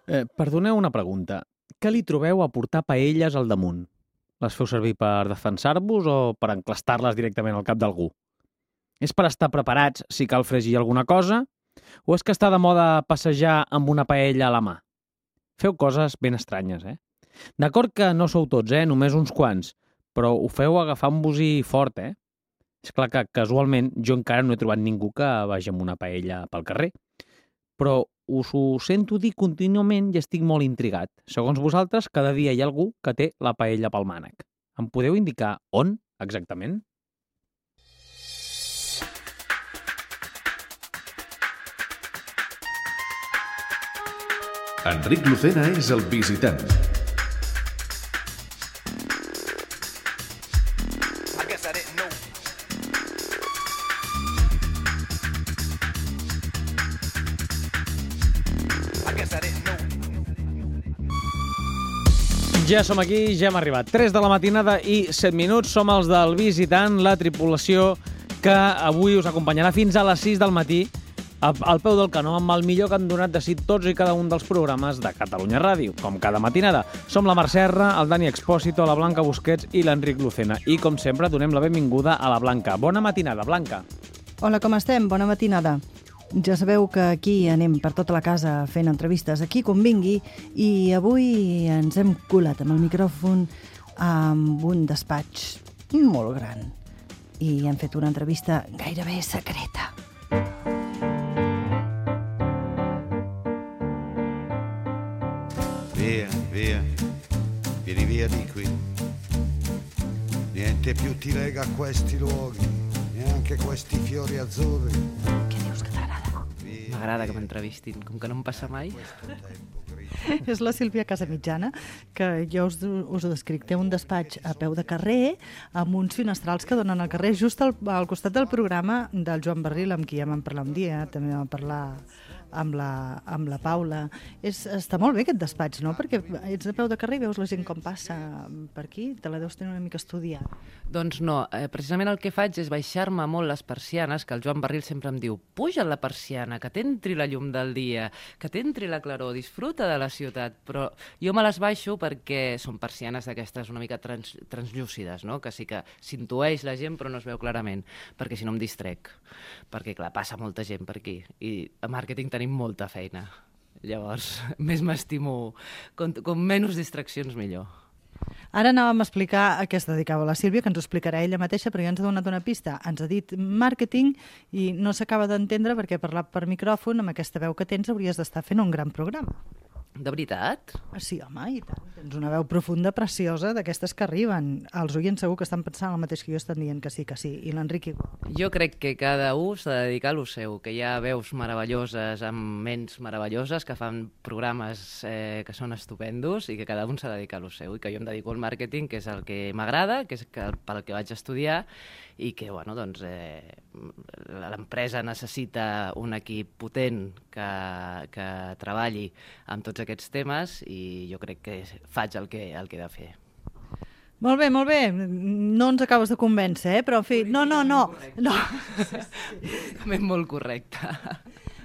Perdoneu una pregunta. Què li trobeu a portar paelles al damunt? Les feu servir per defensar-vos o per enclastar-les directament al cap d'algú? És per estar preparats si cal fregir alguna cosa? O és que està de moda passejar amb una paella a la mà? Feu coses ben estranyes, eh? D'acord que no sou tots, només uns quants, però ho feu agafant-vos-hi fort, eh? És clar que casualment jo encara no he trobat ningú que vagi amb una paella pel carrer. Però us ho sento dir contínuament i estic molt intrigat. Segons vosaltres, cada dia hi ha algú que té la paella pel mànec. Em podeu indicar on, exactament? Enric Lucena és el visitant. Ja som aquí, ja hem arribat. 3 de la matinada i 7 minuts. Som els del visitant, la tripulació que avui us acompanyarà fins a les 6 del matí al peu del canó amb el millor que han donat de si tots i cada un dels programes de Catalunya Ràdio, com cada matinada. Som la Mar Serra, el Dani Expósito, la Blanca Busquets i l'Enric Lucena. I, com sempre, donem la benvinguda a la Blanca. Bona matinada, Blanca. Hola, com estem? Bona matinada. Ja sabeu que aquí anem per tota la casa fent entrevistes, aquí com vingui, i avui ens hem colat amb el micròfon amb un despatx molt gran i hem fet una entrevista gairebé secreta. Via, via, vieni via di qui. Niente più ti lega a questi luoghi, neanche questi fiori azzurri. Què dius que t'agrada? M'agrada que m'entrevistin, com que no em passa mai. És la Sílvia Casamitjana, que jo us ho descric. Té un despatx a peu de carrer, amb uns finestrals que donen al carrer, just al costat del programa del Joan Barril, amb qui ja vam parlar un dia, també vam parlar amb la Paula. Està molt bé aquest despatx, no? Perquè ets de peu de carrer i veus la gent com passa per aquí, te la deus tenir una mica estudiada. Doncs no, precisament el que faig és baixar-me molt les persianes, que el Joan Barril sempre em diu: puja la persiana, que t'entri la llum del dia, que t'entri la claror, disfruta de la ciutat. Però jo me les baixo perquè són persianes d'aquestes una mica translúcides, no? Que sí que s'intueix la gent però no es veu clarament, perquè si no em distrec. Perquè, clar, passa molta gent per aquí i a màrqueting tenim molta feina. Llavors, més m'estimo, com menys distraccions millor. Ara anàvem a explicar a què es dedicava la Sílvia, que ens ho explicarà ella mateixa, però ja ens ha donat una pista. Ens ha dit màrqueting i no s'acaba d'entendre perquè parlar per micròfon amb aquesta veu que tens hauries d'estar fent un gran programa. De veritat? Sí, home, i tant. Tens una veu profunda, preciosa, d'aquestes que arriben. Els oients segur que estan pensant el mateix que jo, estan dient que sí, i l'Enric igual. Jo crec que cada un s'ha de dedicar a lo seu, que hi ha veus meravelloses amb ments meravelloses que fan programes que són estupendos i que cada un s'ha de dedicar a lo seu i que jo em dedico al màrqueting, que és el que m'agrada, que és pel que vaig estudiar i que, bueno, doncs, l'empresa necessita un equip potent que treballi amb tots aquests temes i jo crec que faig el que he de fer. Molt bé, molt bé. No ens acabes de convèncer, però en fi... No. També molt correcte.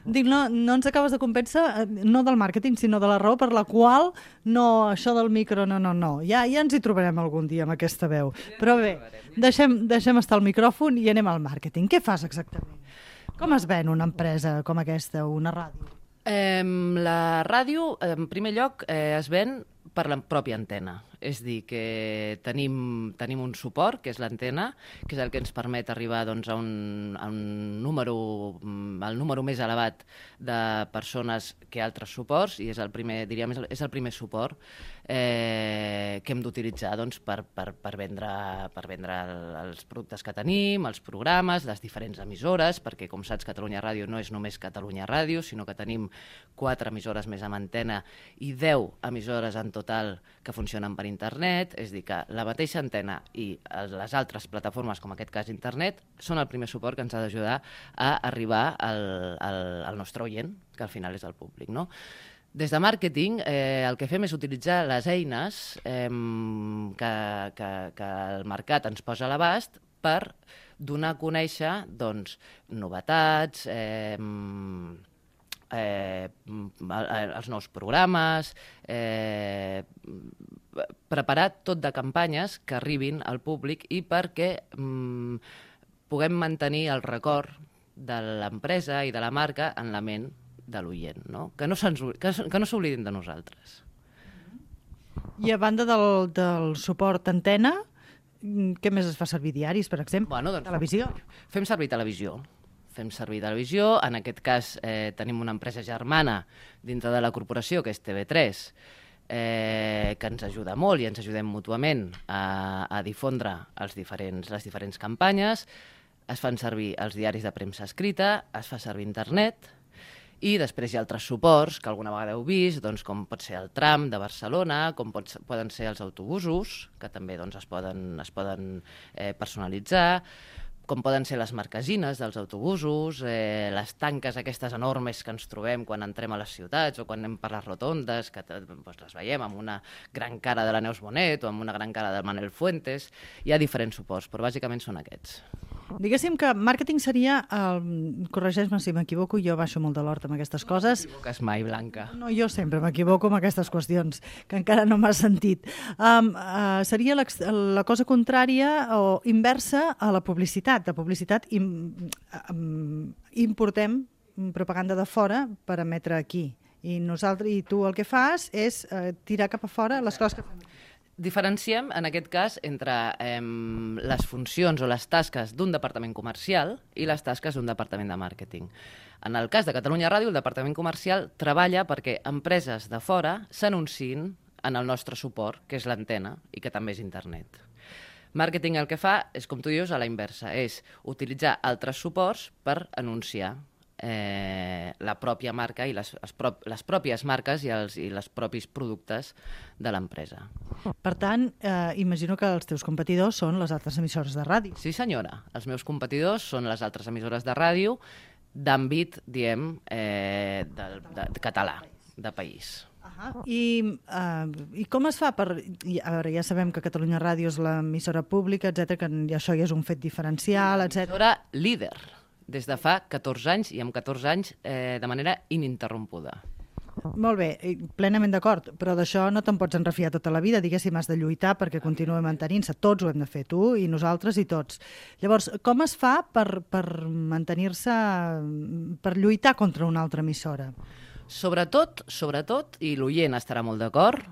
Dic, no ens acabes de convèncer, no del màrqueting, sinó de la raó per la qual no, això del micro, no. Ja ens hi trobarem algun dia amb aquesta veu. Però bé, deixem estar el micròfon i anem al màrqueting. Què fas exactament? Com es ven una empresa com aquesta, una ràdio? La ràdio, en primer lloc, es ven per la pròpia antena. És dir, que tenim un suport, que és l'antena, que és el que ens permet arribar doncs, a un número, el número més elevat de persones que altres suports, i és el primer, diríem, és el primer suport que hem d'utilitzar doncs, per vendre els productes que tenim, els programes, les diferents emissores, perquè, com saps, Catalunya Ràdio no és només Catalunya Ràdio, sinó que tenim 4 emissores més amb antena i 10 emissores en total que funcionen per internet, és a dir, que la mateixa antena i les altres plataformes, com en aquest cas internet, són el primer suport que ens ha d'ajudar a arribar al nostre oient, que al final és el públic, no? Des de màrqueting, el que fem és utilitzar les eines que el mercat ens posa a l'abast per donar a conèixer doncs, novetats, els nous programes, preparar tot de campanyes que arribin al públic i perquè puguem mantenir el record de l'empresa i de la marca en la ment de l'oient, no? Que no s'oblidin de nosaltres. I a banda del suport antena, què més es fa servir? Diaris, per exemple? Bueno, doncs, Televisió? Fem servir televisió. En aquest cas tenim una empresa germana dintre de la corporació, que és TV3, que ens ajuda molt i ens ajudem mútuament a difondre les diferents campanyes. Es fan servir els diaris de premsa escrita, es fa servir internet, i després hi ha altres suports que alguna vegada heu vist, doncs, com pot ser el tram de Barcelona, com poden ser els autobusos, que també doncs, es poden personalitzar, com poden ser les marquesines dels autobusos, les tanques aquestes enormes que ens trobem quan entrem a les ciutats o quan anem per les rotondes, que doncs, les veiem amb una gran cara de la Neus Bonet o amb una gran cara de Manel Fuentes. Hi ha diferents suports, però bàsicament són aquests. Diguéssim que màrqueting seria, corregeix-me si m'equivoco, jo baixo molt de l'hort amb aquestes coses. No t'equivoques mai, Blanca. No, jo sempre m'equivoco amb aquestes qüestions, que encara no m'ha sentit. Seria la cosa contrària o inversa a la publicitat. De publicitat importem propaganda de fora per emetre aquí. I tu el que fas és tirar cap a fora les coses que fem. Diferenciem, en aquest cas, entre les funcions o les tasques d'un departament comercial i les tasques d'un departament de màrqueting. En el cas de Catalunya Ràdio, el departament comercial treballa perquè empreses de fora s'anunciïn en el nostre suport, que és l'antena i que també és internet. Màrqueting el que fa és, com tu dius, a la inversa, és utilitzar altres suports per anunciar la pròpia marca i les pròpies marques i els propis productes de l'empresa. Per tant, imagino que els teus competidors són les altres emissores de ràdio. Sí, senyora. Els meus competidors són les altres emissores de ràdio d'àmbit, diem, de català, de país. I com es fa per... A veure, ja sabem que Catalunya Ràdio és l'emissora pública, etc, que això ja és un fet diferencial, etc. Emissora líder, des de fa 14 anys, i amb 14 anys de manera ininterrompuda. Molt bé, plenament d'acord, però d'això no te'n pots enrefiar tota la vida, diguéssim, has de lluitar perquè continuï mantenint-se. Tots ho hem de fer, tu i nosaltres i tots. Llavors, com es fa per mantenir-se, per lluitar contra una altra emissora? Sobretot, i l'oient estarà molt d'acord,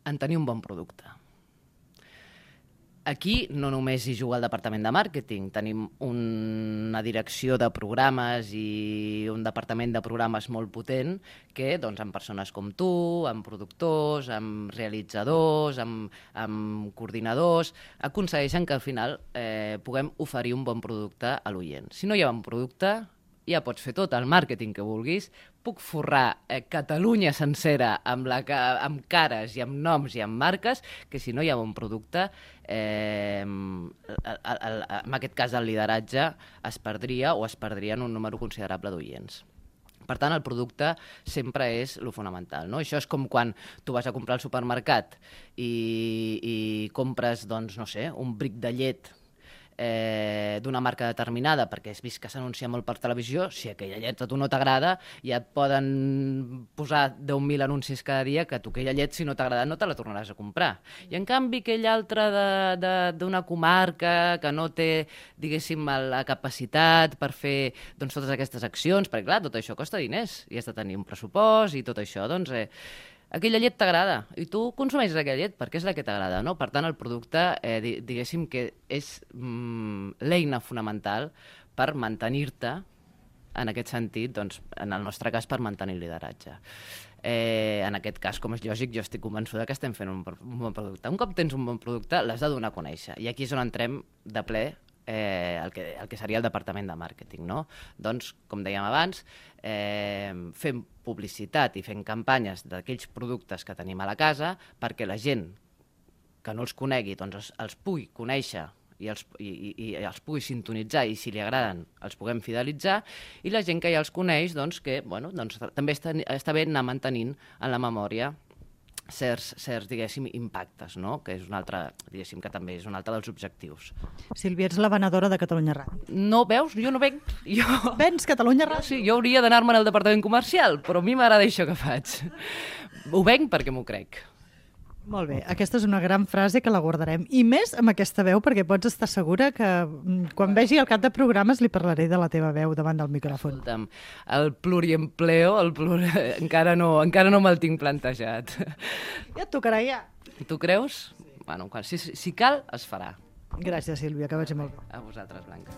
en tenir un bon producte. Aquí no només hi juga el departament de màrqueting, tenim una direcció de programes i un departament de programes molt potent que, doncs, amb persones com tu, amb productors, amb realitzadors, amb coordinadors, aconsegueixen que al final puguem oferir un bon producte a l'oient. Si no hi ha bon producte, ja pots fer tot el màrqueting que vulguis, puc forrar Catalunya sencera amb cares i amb noms i amb marques, que si no hi ha bon producte, en aquest cas el lideratge es perdria o es perdria en un número considerable d'oients. Per tant, el producte sempre és el fonamental, no? Això és com quan tu vas a comprar al supermercat i compres, doncs, no sé, un bric de llet d'una marca determinada perquè has vist que s'anuncia molt per televisió, si aquella llet a tu no t'agrada, ja et poden posar 10.000 anuncis cada dia que tu aquella llet, si no t'agrada, no te la tornaràs a comprar. I en canvi aquell altre d'una comarca que no té, diguéssim, la capacitat per fer, doncs, totes aquestes accions, perquè clar, tot això costa diners i has de tenir un pressupost i tot això, doncs aquella llet t'agrada i tu consumeixes aquella llet perquè és la que t'agrada, no? Per tant, el producte, diguéssim que és l'eina fonamental per mantenir-te, en aquest sentit, doncs, en el nostre cas, per mantenir el lideratge. En aquest cas, com és lògic, jo estic convençuda que estem fent un bon producte. Un cop tens un bon producte, l'has de donar a conèixer. I aquí és on entrem de ple el que seria el departament de màrqueting, no? Doncs, com dèiem abans, fem publicitat i fem campanyes d'aquells productes que tenim a la casa perquè la gent que no els conegui doncs els pugui conèixer i els pugui sintonitzar i si li agraden els puguem fidelitzar, i la gent que ja els coneix doncs que, bueno, doncs també està bé anar mantenint en la memòria diguéssim, impactes, no? Que és un altre, diguéssim, que també és un altre dels objectius. Sílvia, ets la venedora de Catalunya Ràdio. No, veus? Jo no venc. Vens Catalunya Ràdio? Sí, jo hauria d'anar-me'n al departament comercial, però a mi m'agrada això que faig. Ho venc perquè m'ho crec. Molt bé, aquesta és una gran frase que la guardarem. I més amb aquesta veu, perquè pots estar segura que quan vegi el cap de programes li parlaré de la teva veu davant del micròfon. Escolta'm, el pluriempleo, encara no me'l tinc plantejat. Ja et tocarà, ja. Tu creus? Bueno, si cal, es farà. Gràcies, Sílvia, que vagi molt bé. A vosaltres, Blanca.